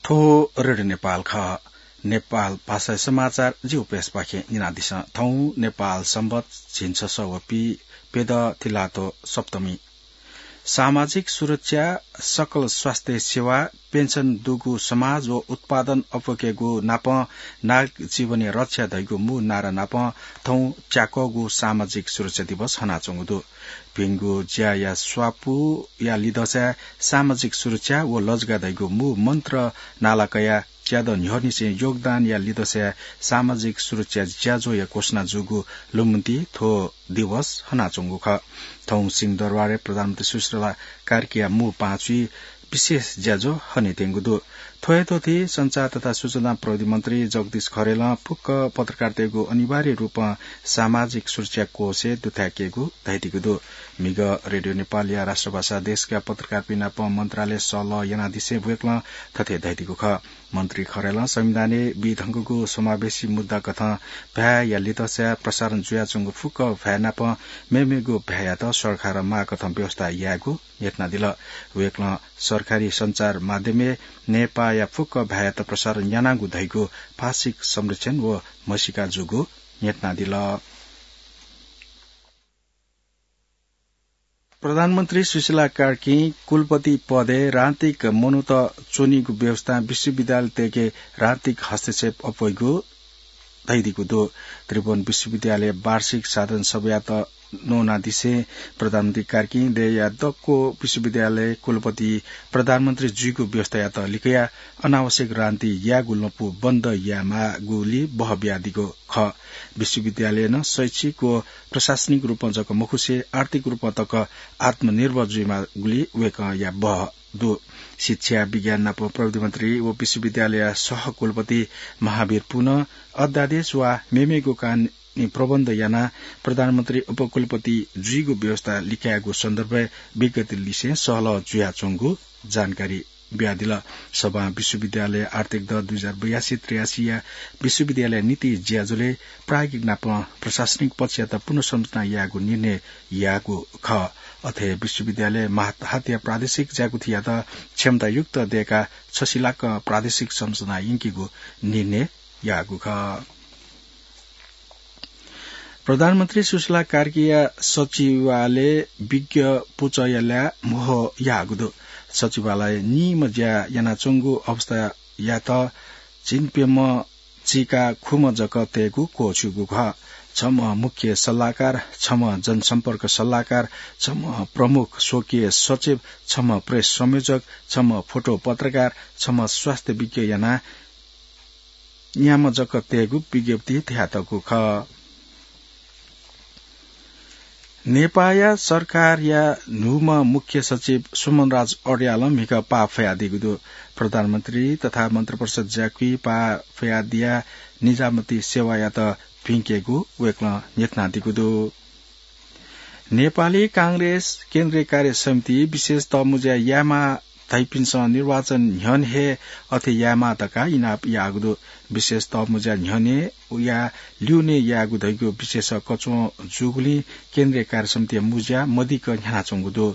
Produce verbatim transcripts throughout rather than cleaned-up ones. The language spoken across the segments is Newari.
थ्व रेडियो नेपाल खः। नेपाल भाषाया समाचार जिगु प्रेसपाखें न्यनादिसँ। थौं नेपाल संवत् झिंछसः व पीप्यदँ तिलातो सप्तमी। सामाजिक सुरक्षा, सकल स्वास्थ्य सेवा, पेन्सन दुगु समाज व उत्पादन अप्वय्केगु नापं नागरिक जीवनया रक्षा धइगु मू नारा नापं थौं च्याक्वःगु सामाजिक सुरक्षा दिवस हनाच्वंगु दु। भिंगु ज्याया स्वापूया लिधंसाय् सामाजिक सुरक्षा व लजगाः धइगु मू मन्त्र नाला कयाः च्यादँ न्ह्यःनिसें योगदानया लिधंसाय् सामाजिक सुरक्षा ज्याझ्वःया घोषणा जूगु लुमन्ति थ्व दिवस हनाच्वंगु खः। थौं सिंहदरबारय् प्रधानमन्त्री सुशीला कार्कीया मू पाँचुइ विशेष ज्याझ्वः हनेत्यंगु दु। थ्व हे त्वःति संचार तथा सूचना प्रविधि मन्त्री जगदीश खरेलं फुक्क पत्रकारतय्गु अनिवार्य रूपं सामाजिक सुरक्षा कोषय् दुथ्याकेगु धयादीगु दु। म्हिगः रेडियो नेपालया राष्ट्रभाषा डेस्कया पत्रकारपिं नाप मन्त्रालयय् सहलह यानादिसें वय्कलं थथे धयादीगु खः। मन्त्री खरेलं संविधानय् बीधंगु समावेशी मुद्दा कथं भाय्या लिधंसाय् प्रसारण जुयाच्वंगु फुक्क भाय् नाप मेमेगु भाय्‌यात सरकारं माःकथं व्यवस्था यायेगु न्ह्यथनादिल। वय्कलं सरकारी सञ्चार माध्यमय् नेपाःया फुक्क भाय्‌यात प्रसारण यानागु धइगु भाषिक संरक्षण व म्हसीका जूगु न्ह्यथनादिल। प्रधानमन्त्री सुशीला कार्कीं कुलपति पदय् राजनीतिक मनूत च्वनीगु व्यवस्थां विश्वविद्यालयतय्के राजनीतिक हस्तक्षेप अप्वइगु धयादीगु दु। त्रिभुवन विश्वविद्यालय वार्षिक साधारण सभायात न्वनादिसें प्रधानमन्त्री कार्कीं देय्‌या दक्व विश्वविद्यालय कुलपति प्रधानमन्त्री जुइगु व्यवस्थायात लिकयाः अनावश्यक राजनीति यायेगु लँपु बन्द यायेमाःगुली बहः बियादीगु खः। विश्वविद्यालयं शैक्षिक व प्रशासनिक रूपं जक मखुसे आर्थिक रूपं तक आत्मनिर्भर जुइमाःगुली वय्कःया बहः दु। शिक्षा, विज्ञान नाप प्रविधि मन्त्री व विश्वविद्यालयया सहकुलपति महावीर पुनं अध्यादेश वा मेमेगु कानूनी प्रबन्ध यानाः प्रधानमन्त्री उपकुलपति जुइगु व्यवस्था लिकायेगु सन्दर्भय् विज्ञप्ति लिसें सहलह जुयाच्वंगु जानकारी बियादिल। सभां विश्वविद्यालय आर्थिक दँ दुई हजार बयासी त्रियासीया विश्वविद्यालय नीति ज्याझ्वलय् प्राज्ञिक नाप प्रशासनिक पक्षयात पुनर्संरचना यायेगु निर्णय याःगु खः। अथे विश्वविद्यालय मातहतया प्रादेशिक ज्याकुथियात क्षमतायुक्त दय्काः छसिलाक प्रादेशिक संरचना यंकेगु निर्णय याःगु खः। प्रधानमन्त्री सुशीला कार्कीया सचिवालय विज्ञ पुचःया ल्याः म्हो याःगु दु। सचिवालयं निम्ह ज्या यानाच्वंगु अवस्थायात झिंप्यम्ह चीका खुम्ह जक तयेगु क्वःछ्यूगु खः। छम्ह मुख्य सल्लाहकार, छम्ह जनसम्पर्क सल्लाहकार, छम्ह प्रमुख स्वकीय सचिव, छम्ह प्रेस संयोजक, छम्ह फोटो पत्रकार, छम्ह स्वास्थ्य विज्ञ यानाः न्याम्ह जक तयेगु विज्ञप्ति धयातःगु खः। नेपाःया सरकारया न्हूम्ह मुख्य सचिव सुमनराज अर्यालं म्हिगः पाः फयादीगु दु। प्रधानमन्त्री तथा मन्त्रिपरिषद ज्याकुथि पाः फयादियाः निजामती सेवायात भिंकेगु वय्कलं न्ह्यथनादीगु दु। नेपाली कांग्रेस केन्द्रीय कार्य समिति विशेष तःमुँज्या यायेमाः धइपिन्सं निर्वाचन न्ह्यःने हे अथे यायेमाः धकाः इनाप याःगु दु। विशेष तःमुँज्या न्ह्यःने या ल्यूने यायेगु धइगु विशेष कच्वं जूगुलिं केन्द्रीय कार्य समितिया मुँज्या मदिक्क न्ह्यानाच्वंगु दु।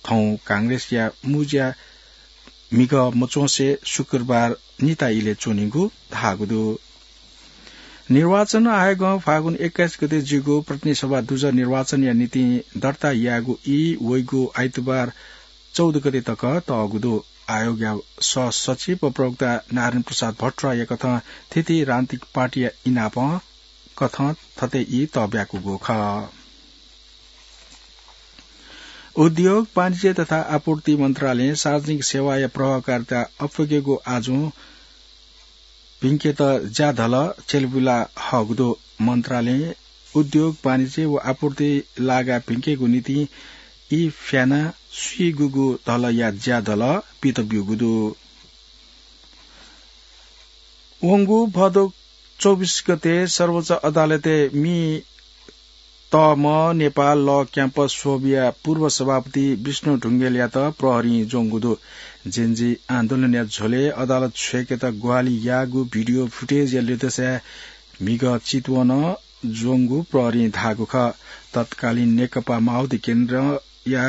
थौं कांग्रेसया मुँज्या म्हिगः मच्वंसे शुक्रबार निता इलय् च्वनीगु धाःगु दु। निर्वाचन आयोगं फागुन एक्काइस गते जूगु प्रतिनिधि सभा दुजः निर्वाचनया निंतिं दर्ता याःगु ई वइगु आइतबार चौध गते तक तःगु दु। आयोगया सहसचिव व प्रवक्ता नारायण प्रसाद भट्टराईया कथं थीथी राजनीतिक पार्टीया इनापं कथं थथे ई तःब्याकूगु खः। उद्योग, वाणिज्य तथा आपूर्ति मन्त्रालयं सार्वजनिक सेवाया प्रभावकारिता अप्वय्केगु आजुं भिंकेत ज्याधल च्वयाबिला हःगु दु। मन्त्रालयं उद्योग, वाणिज्य व आपूर्ति लागा भिंकेगु निंतिं ई फ्यानाः स्वीगुगु धलया ज्याधल पित ब्यूगु दु। वंगु भदौ चौबिस गते सर्वोच्च अदालतय् मि तःम्ह नेपाल लः क्याम्पस स्वःबुया पूर्व सभापति विष्णु ढुंगेलयात प्रहरीं ज्वंगु दु। जेनजी आन्दोलनया झ्वलय् अदालत छ्वय्केत ग्वाहालि याःगु भिडियो फुटेजया ल्यदँसाय् म्हिगः चितवनं ज्वंगु प्रहरीं धाःगु खः। तत्कालीन नेकपा माओवादी केन्द्रया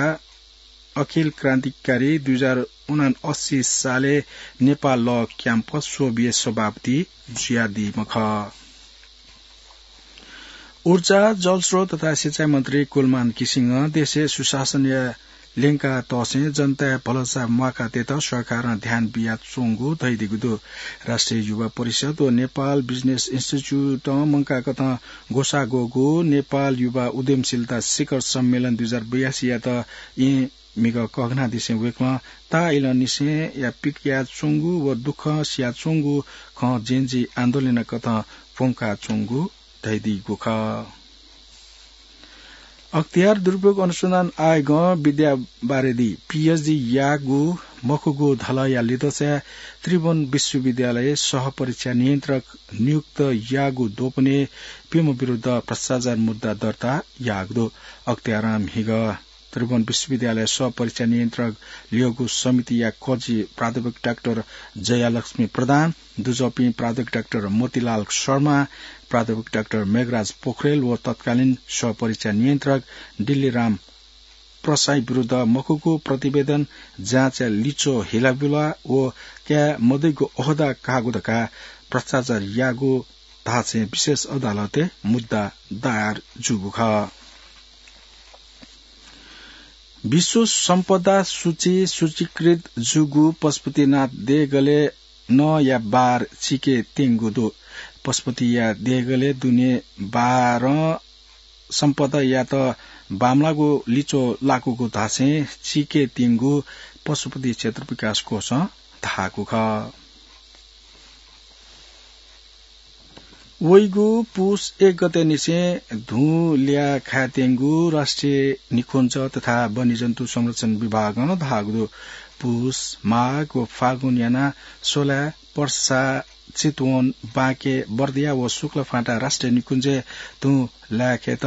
अखिल क्रान्तिकारी दुई हजार उनासी सालय् नेपाल लः क्याम्पस स्वबिया सभापति जुयादीम्ह खः। ऊर्जा, जलस्रोत तथा सिँचाइ मन्त्री कुलमान घिसिङं देशय् सुशासनया ल्यंका तःसें जनताया भलसा म्वाकातयेत सरकारं ध्यान बियाच्वंगु धयादीगु दु। राष्ट्रिय युवा परिषद व नेपाल बिजनेस इन्स्टिच्युटं मंकाकथं ग्वसाः ग्वःगु नेपाल युवा उद्यमशीलता शिखर सम्मेलन दुई हजार बयासीयात येँ म्हिगः कःघानादिसें वय्कलं ताःइलंनिसेंया पिकयाच्वंगु व दुःख सियाच्वंगु खँ जेनजी आन्दोलनकथं प्वंकाच्वंगु धयादीगु खः। अख्तियार दुरुपयोग अनुसन्धान आयोगं विद्या बारेदी, पीएचडी याःगु मखुगु धलःया लिधंसाय् त्रिभुवन विश्वविद्यालय सहपरीक्षा नियन्त्रक नियुक्त याःगु द्वपनय् प्यम्ह विरुद्ध भ्रष्टाचार मुद्दा दर्ता याःगु दु। अख्तियारं म्हिगः त्रिभुवन विश्वविद्यालय सहपरीक्षा नियन्त्रक ल्यःगु समितिया कजि प्राध्यापक डाक्टर जयालक्ष्मी प्रधान, दुजःपिं प्राध्यापक डाक्टर मोतीलाल शर्मा, प्राध्यापक डाक्टर मेघराज पोखरेल व तत्कालीन सहपरीक्षा नियन्त्रक दिल्लीराम प्रसाई विरुद्ध मखुगु प्रतिवेदन जाँचया लिच्वः हिलाबुला व काये मदइगु ओहदा काःगु धकाः भ्रष्टाचार याःगु धासें विशेष अदालतय् मुद्दा दायर जूगु खः। विश्व सम्पदा सूची सूचीकृत जूगु पशुपतिनाथ देगलय् नँया बार चिके त्यंगु दु। पशुपतिया देगलय् दुने बारं सम्पदायात बांमलाःगु लिच्वः लाकूगु धासें चिके त्यंगु पशुपति क्षेत्र विकास कोषं धाःगु खः। वइगु पुस एक गते निसें धुँ ल्याः खाये त्यंगु राष्ट्रिय निकुञ्ज तथा वन्यजन्तु संरक्षण विभागं धाःगु दु। पुस, माघ व फागुन यानाः सोलाय्, पर्सा, चितवन, बाँके, बर्दिया व शुक्लफाँटा राष्ट्रिय निकुञ्जय् धुँ ल्याः खायेत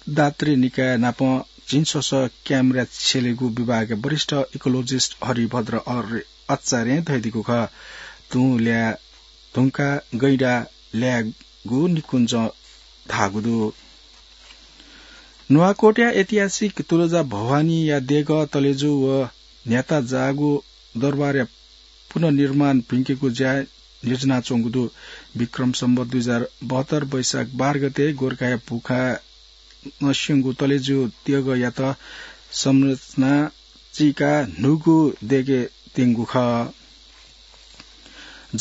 दात्री निकाय नाप झिंस्वसः क्यामेरा छ्यलेगु विभागया वरिष्ठ इकोलोजिस्ट हरिभद्र आर्य आचार्यं धयादीगु खः। धुँ ल्याः धुंकाः गैंडा ल्यायेगु निकुञ्जं धाःगु दु। नुवाकोटया ऐतिहासिक तुळजा भवानीया देगः तलेजु व न्ह्याता जाःगु दरबारया पुनर्निर्माण भिंकेगु ज्या न्ह्यज्यानाच्वंगु दु। विक्रम सम्वत दुई हजार बहत्तर वैशाख बाह्र गते गोरखाया भुखाय् नस्यंगु तलेजु देगःयात संरचना चीकाः न्हूगु देगः त्यंगु खः।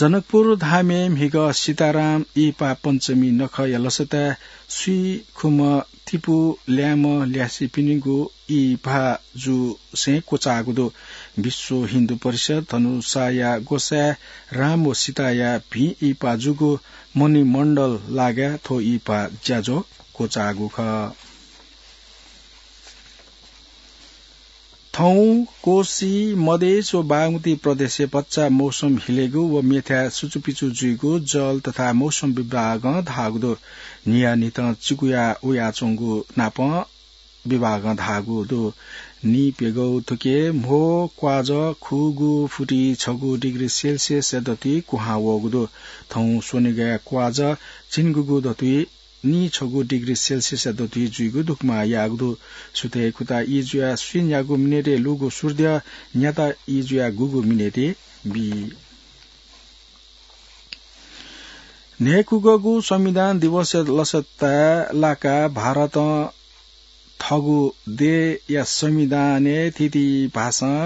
जनकपुर धामय् म्हिगः सीताराम इहिपा पञ्चमी नखःया लसताय् स्वीखुम्ह तिपू ल्याय्म्ह ल्यासेपिनिगु इहिपा जूसें क्वचाःगु दु। विश्व हिन्दू परिषद धनुषाया ग्वसाय् राम व सीताया भिं इहिपा जूगु मणिमण्डल लागाय् थ्व इहिपा ज्याझ्वः क्वचाःगु खः। थौं कोशी, मधेस व बागमती प्रदेशय् भचा मौसम हिलेगु व मेथाय् सुचुपिचु जुइगु जल तथा मौसम विभागं धाःगु दु। न्हियान्हिथं चिकुया वयाच्वंगु नापं विभागं धाःगु दु। नीप्यघौ थुके म्हो क्वाजः खुगू फुति छगू डिग्री सेल्सियसया दथुइ कुहां वःगु दु। थौं स्वनिगःया क्वाजः झिंगुगू दथुइ नीछगू डिग्री सेल्सियसया दथुइ जुइगु धुकुमा याःगु दु। सुथय् खुता ई जुयाः स्वीन्यागू मिनेटय् लूगु सूर्य न्याता ई जुयाः गुगू मिनेटय् बी। न्हय्‌कुगःगु संविधान दिवसया लसताय् लाकाः भारतं थःगु देय्‌या संविधानय् थीथी भाषां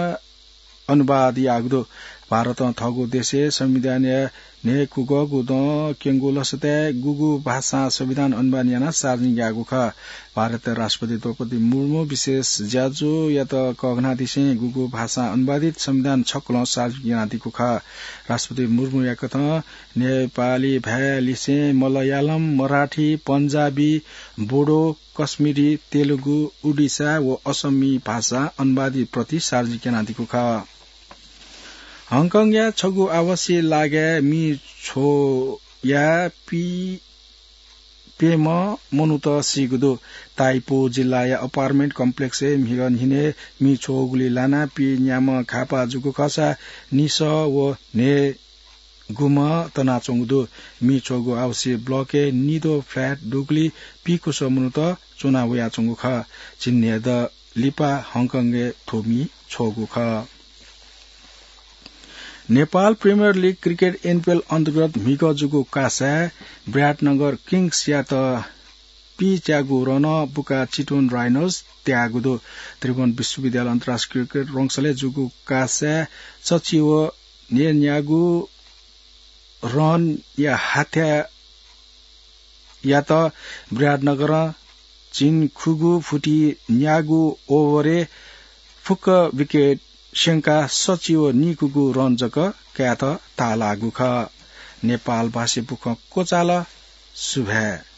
अनुवाद याःगु दु। भारतं थःगु देशय् संविधानया न्हय्‌कुगःगु दँ क्यंगु लसताय् गुगु भाषां संविधान अनुवाद यानाः सार्वजनिक याःगु खः। भारतया राष्ट्रपति द्रौपदी मुर्मु विशेष ज्याझ्वःयात कःघानादिसें गुगु भाषां अनुवादित संविधान छकलं सार्वजनिक यानादीगु खः। राष्ट्रपति मुर्मुया कथं नेपाली भाय्‌लिसें मलयालम, मराठी, पन्जाबी, बोडो, कश्मीरी, तेलुगु, उडिसा व असमी भाषां अनुवादित प्रति सार्वजनिक यानादीगु खः। हङकङया छगू आवासीय लागाय् मी छ्वया पी प्यम्ह मनूत सीगु दु। ताइपो जिल्लाया अपार्टमेन्ट कम्प्लेक्सय् म्हिगः न्हिनय् मी छ्वःगुलिइ लानाः पीन्याम्ह घाःपाः जूगु खःसा निसः व न्हय्‌गुम्ह तनाच्वंगु दु। मी छ्वःगु आवासीय ब्लकय् निद्वः फ्ल्याट दुगुलिइ पीकुसः मनूत च्वना वयाच्वंगु खः। झिंन्हय्‌दँ लिपा हङकङय् थ्व मी छ्वःगु खः। नेपाल प्रिमियर लिग क्रिकेट एनपिएल अन्तर्गत म्हिगः जूगु कासाय् विराटनगर किङ्सयात पीच्यागु रन बुका चितवन राइनोस त्यागु दु। त्रिभुवन विश्वविद्यालय अन्तर्राष्ट्रिय क्रिकेट रंगशालाय् जूगु कासाय् सचिव न्यन्यागु रनया हाथ्याय् यात। विराटनगरं झिंखुगू फुति न्यागू ओभरय् फुक्क विकेट स्यंकाः सचिव निखुगू रन जक कायेत ताःलाःगु खः। नेपाल भाषाय् बुखँ क्वचाल। सुभाय्।